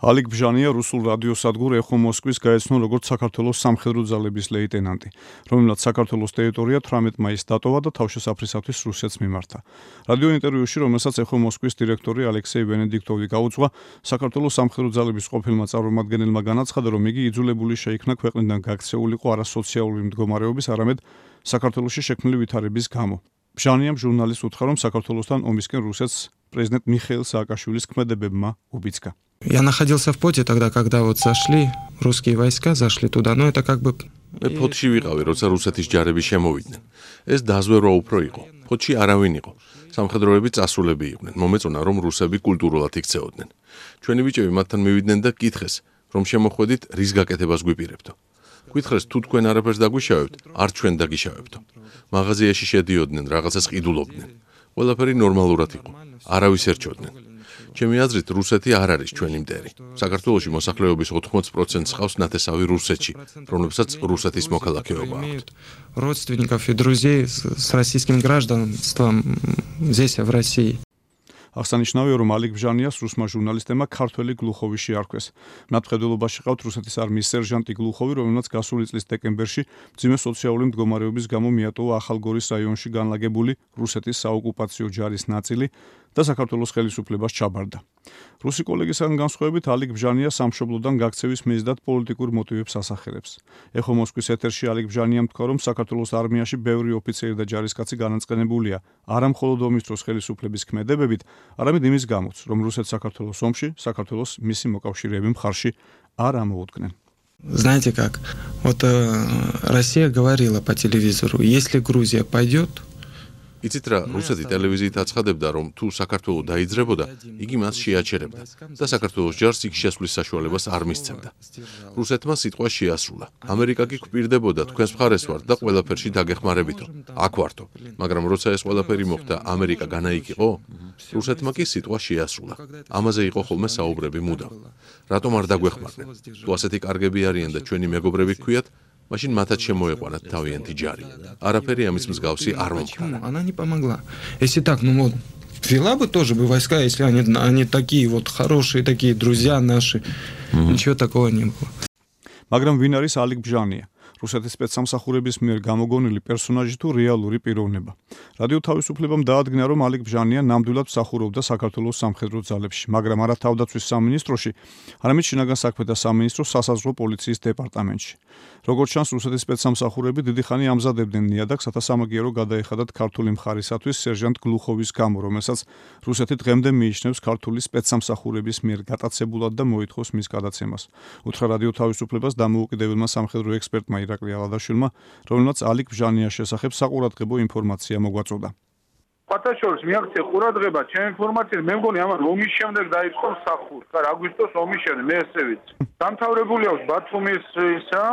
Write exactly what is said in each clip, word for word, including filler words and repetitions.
ალიკ ბჟანია რუსულ რადიოსადგურ ეხო მოსკვის გაეცნო როგორც საქართველოს სამხედრო ძალების ლეიტენანტი, რომელმაც საქართველოს ტერიტორია თვრამეტ მაისს დატოვა და თავშესაფრისათვის რუსეთს მიმართა. რადიო ინტერვიუში, რომელსაც ეხო მოსკვის დირექტორი ალექსეი ვენედიქტოვი გაუძღვა, საქართველოს სამხედრო ძალების ყოფილმა წარმომადგენელმა განაცხადა, რომ იგი იძულებული შეიქნა ქვეყნიდან გაქცეულიყო არა სოციალური მდგომარეობის, არამედ საქართველოში შექმნილი ვითარების გამო. ბჟანიამ ჟურნალისტს უთხრა, რომ საქართველოსთან ომისკენ რუსეთს პრეზიდენტ მიხეილ სააკაშვილის ქმედებებმა უბიძგა. Я находился в поте тогда, когда вот зашли русские войска, зашли туда, но это как бы... მე ფოთში ვიყავი, როცა რუსეთის ჯარები შემოვიდნენ. ეს დაზვერვა უფრო იყო. ფოთში არავინ იყო. სამხედროები წასულები იყვნენ. მომეწონა, რომ რუსები კულტურულად იქცეოდნენ. ჩვენი ბიჭები მათთან მივიდნენ და კითხეს, რომ შემოხვედით, რის გაკეთებას გვიპირებდო. გითხრეს, თუ თქვენ არაფერს დაგვიშავებთ, არ ჩვენ დაგიშავებდო. მაღაზიაში შედიოდნენ, რაღაცას ყიდულობდნენ. ყველაფერი ნორმალურად იყო. არავის ერჩოდნენ. ჩემი აზრით, რუსეთი არ არის ჩვენი მტერი. საქართველოში მოსახლეობის ოთხმოცი პროცენტს ჰყავს ნათესავი რუსეთში, რომლებსაც რუსეთის მოქალაქეობა აქვთ. Родственников и друзей с российским гражданством здесь, в России. აღსანიშნავია, რომ ალიკ ბჟანიას რუსმა ჟურნალისტებმა ქართველი გლუხოვი შეარქვეს. მათხედველობაში ყავთ რუსეთის არმიის სერჟანტი გლუხოვი, რომელმაც გასული წლის დეკემბერში მძიმე სოციალური მდგომარეობის გამო მიატოვა ახალგორის რაიონში განლაგებული რუსეთის საოკუპაციო ჯარის ნაწილი და საქართველოს ხელისუფლებას ჩაბარდა. რუსი კოლეგისგან განსხვავებით, ალიკ ბჟანია სამშობლოდან გაქცევის მიზნად პოლიტიკურ მოტივებს ასახელებს. ეხო მოსკვის ეთერში ალიკ ბჟანიამ თქვა, რომ საქართველოს არმიაში ბევრი ოფიცერი და ჯარისკაცი განაწყენებულია არა მხოლოდ ომის დროს ხელისუფლების ქმედებებით, არამედ იმის გამოც, რომ რუსეთ საქართველოს ომში, საქართველოს მისი მოკავშირეები მხარში არ ამოუდგნენ. Знаете как? Вот э, Россия говорила по телевизору, если Грузия пойдет, იცით რა, რუსეთი ტელევიზიით აცხადებდა, რომ თუ საქართველო დაიძრებოდა, იგი მას შეაჩერებდა და საქართველოს ჯარს იქ შესვლის საშუალებას არ მისცემდა. რუსეთმა სიტყვა შეასრულა. ამერიკა კი გვპირდებოდა, თქვენს მხარეს ვართ და ყველაფერში დაგეხმარებითო. აქ ვართო. მაგრამ როცა ეს ყველაფერი მოხდა, ამერიკა განაიკიყო? რუსეთმა კი სიტყვა შეასრულა. ამაზე იყო ხოლმე საუბრები მუდამ. რატომ არ დაგვეხმარნენ? თუ ასეთი კარგები არიან და ჩვენი მეგობრები გქვიათ, машин матат შემოეყვანათ თავიანთი ჯარი. არაფერი ამის მსგავსი არ მომხდარა. Она не помогла. Если так, ну вот, вела бы тоже бы войска, если они, они такие вот хорошие, такие друзья наши. Ничего такого не было. მაგრამ ვინ არის ალიკ ბჟანია? რუსეთის სპეცსამსახურების მიერ გამოგონილი პერსონაჟი თუ რეალური პიროვნება. რადიო თავისუფლებამ დაადგინა, რომ ალიკ ბჟანია ნამდვილად მსახურობდა საქართველოს სამხედრო ძალებში, მაგრამ არა თავდაცვის სამინისტროში, არამედ შინაგან საქმეთა სამინისტროს სასაზღვრო პოლიციის დეპარტამენტში. როგორც ჩანს, რუსეთის სპეცსამსახურები დიდი ხანი ამზადებდნენ ნიადაგს, რათა სამაგიერო გადაეხადათ ქართული მხარისათვის სერჟანტ გლუხოვის გამო, რომელსაც რუსეთი დღემდე მიიჩნევს ქართული სპეცსამსახურების მიერ გატაცებულად და მოითხოვს მის გადაცემას. უთხრა რადიო თავისუფლებას დამოუკიდებელმა სამხედრო ექსპერტმა ირაკლი ალადაშვილმა, რომელმაც ალიკ ბჟანიას შესახებ საყურადღებო ინფორმაცია მოგვაწოდა. ფათაშორის მიაქცია ყურადღება ჩემ ინფორმაციით, მე მგონი ამან ომის შემდეგ დაიწყო მსახური. ხარ აგვისტოს ომის შემდეგ მე ესე ვიცი. დამთავრებული აქვს ბათუმის ისა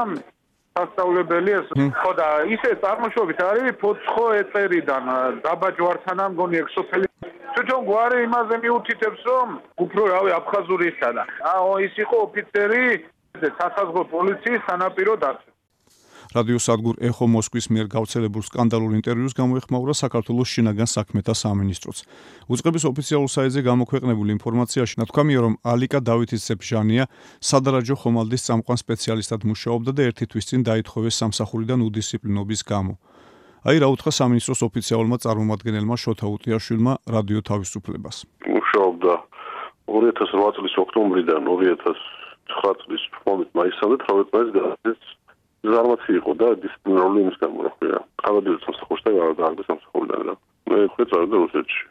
სასწავლებელი ეს ხო და ისე წარმოშობით არის ფოცხო ეწერიდან დაბა ჯვარცანა მგონი ექსოფელი. თვითონ გვარი იმაზე მიუთითებს, რომ უფრო რავი აფხაზურისა და აო ის იყო ოფიცერი სასაზღვრო პოლიციის სანაპირო დაცვა. რადიო სადგურ ეხო მოსკვის მიერ გავრცელებულ სკანდალურ ინტერვიუს გამოეხმაურა საქართველოს შინაგან საქმეთა სამინისტროც. უწყების ოფიციალურ საიტზე გამოქვეყნებულ ინფორმაციაში ნათქვამია, რომ ალიკა დავითის ბჟანია სადარაჯო ხომალდის წამყვან სპეციალისტად მუშაობდა და ერთი თვის წინ დაითხოვეს სამსახურიდან უდისციპლინობის გამო. აი რა უთხრა სამინისტროს ოფიციალურმა წარმომადგენელმა შოთა უტიაშვილმა რადიო თავისუფლებას. მუშაობდა ორი ათას რვა წლის ოქტომბრიდან ორი ათას ცხრა წლის თორმეტ მაისამდე თორმეტ მაისს გადადის ზარმაცი იყო და დისციპლინარული იმის გამო რა ქვია. ყავდიოც სამსახურში და გააგდეს სამსახურიდან რა. მე ხვდე წავედი რუსეთში.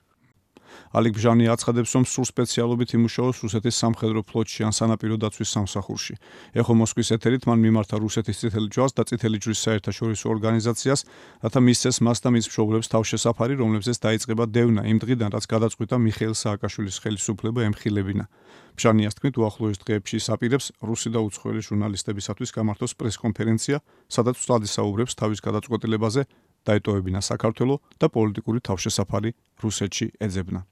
ალიკ ბჟანია აცხადებს, რომ სულ სპეციალობით იმუშაოს რუსეთის სამხედრო ფლოტში ან სანაპირო დაცვის სამსახურში. ეხო მოსკვის ეთერით მან მიმართა რუსეთის წითელი ჯვარს და წითელი ჯვრის საერთაშორისო ორგანიზაციას, რათა მისცეს მას და მის მშობლებს თავშესაფარი, რომლებზეც დაიწყება დევნა იმ დღიდან, რაც გადაწყვიტა მიხეილ სააკაშვილის ხელისუფლება ემხილებინა. ბჟანიას თქმით, უახლოეს დღეებში ის აპირებს რუსი და უცხოელი ჟურნალისტებისათვის გამართოს პრესკონფერენცია, სადაც ვსად ისაუბრებს თავის გადაწყვეტილებაზე დაეტოვებინა საქართველო და პოლიტიკური თავშესაფარი რუსეთში ეძებნა.